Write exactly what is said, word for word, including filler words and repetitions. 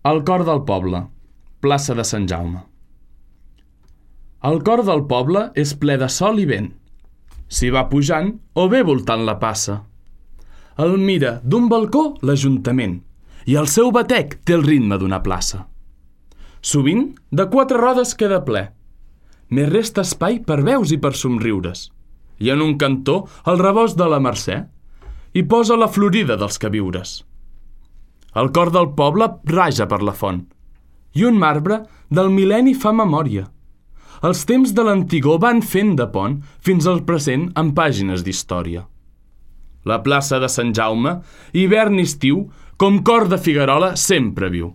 El cor del poble, plaça de Sant Jaume. El cor del poble és ple de sol i vent. S'hi va pujant o bé voltant la passa. El mira d'un balcó l'Ajuntament i el seu batec té el ritme d'una plaça. Sovint, de quatre rodes queda ple. Més resta espai per veus i per somriures. I en un cantó el rebost de la Mercè i posa la florida dels queviures. El cor del poble raja per la font i un marbre del mil·lenni fa memòria. Els temps de l'antigor van fent de pont fins al present en pàgines d'història. La plaça de Sant Jaume, hivern i estiu, com cor de Figuerola sempre viu.